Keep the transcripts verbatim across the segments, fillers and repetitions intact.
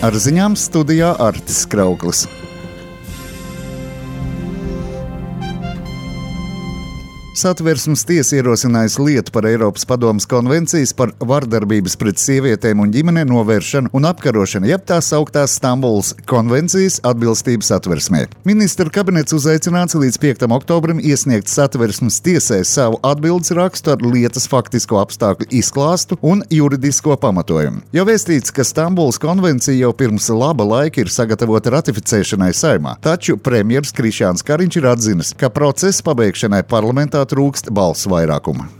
Ar ziņām studijā Artis Krauklis. Satversmes tiesa ierosinājusi lietu par Eiropas padomes konvencijas par vardarbības pret sievietēm un ģimeni novēršanu un apkarošanu, jeb tās sauktās Stambulas konvencijas atbilstību Satversmē. Ministra kabinets uzaicināts līdz piektam oktobrim iesniegt Satversmes tiesai savu atbildes rakstu ar lietas faktisko apstākļu izklāstu un juridisko pamatojumu. Jau vēstīts, ka Stambulas konvencija jau pirms laba laika ir sagatavota ratificēšanai Saeimā, taču premjers Krišjāns Kariņš ir atzinis, ka procesa pabeigšanai parlamentā trūkst balsu vairākuma.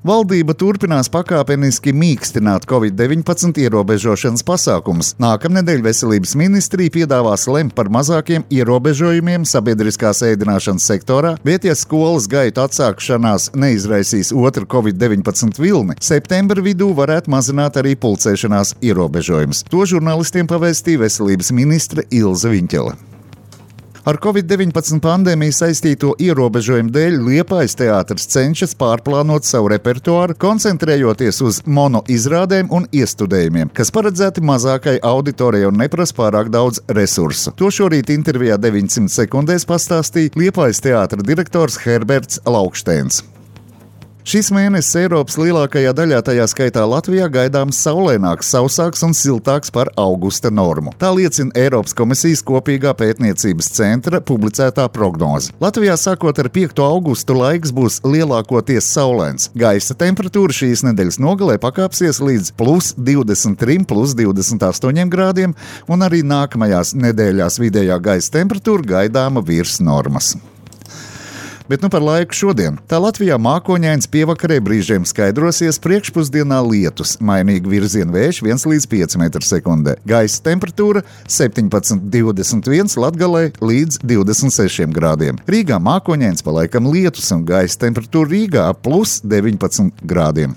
Valdība turpinās pakāpeniski mīkstināt covid deviņpadsmit ierobežošanas pasākumus. Nākamnedēļ veselības ministrija piedāvās lemt par mazākiem ierobežojumiem sabiedriskās ēdināšanas sektorā, bet ja skolas gaitu atsākšanās neizraisīs otru covid deviņpadsmit vilni, septembra vidū varētu mazināt arī pulcēšanās ierobežojumus. To žurnālistiem pavēstīja veselības ministre Ilze Viņķele. Ar covid deviņpadsmit pandēmiju saistīto ierobežojumu dēļ Liepājas teātris cenšas pārplānot savu repertuāru, koncentrējoties uz mono izrādēm un iestudējumiem, kas paredzēti mazākai auditorijai un neprasa pārāk daudz resursu. To šorīt intervijā deviņsimt sekundēs pastāstīja Liepājas teātra direktors Herberts Laukštēns. Šis mēnesis Eiropas lielākajā daļā, tajā skaitā Latvijā, gaidāms saulaināks, sausāks un siltāks par augusta normu. Tā liecina Eiropas komisijas kopīgā pētniecības centra publicētā prognoze. Latvijā sākot ar piekto augustu laiks būs lielākoties saulains. Gaisa temperatūra šīs nedēļas nogalē pakāpsies līdz plus divdesmit trim, plus divdesmit astoņiem grādiem, un arī nākamajās nedēļās vidējā gaisa temperatūra gaidāma virs normas. Bet nu par laiku šodien. Tā Latvijā mākoņains, pievakarē brīžiem skaidrosies, priekšpusdienā lietus, mainīgi virziena vējš viens līdz pieci metri sekundē. Gaisa temperatūra septiņpadsmit divdesmit viens, Latgalē līdz divdesmit sešiem grādiem. Rīgā mākoņains, pa laikam lietus un gaisa temperatūra Rīgā plus deviņpadsmit grādiem.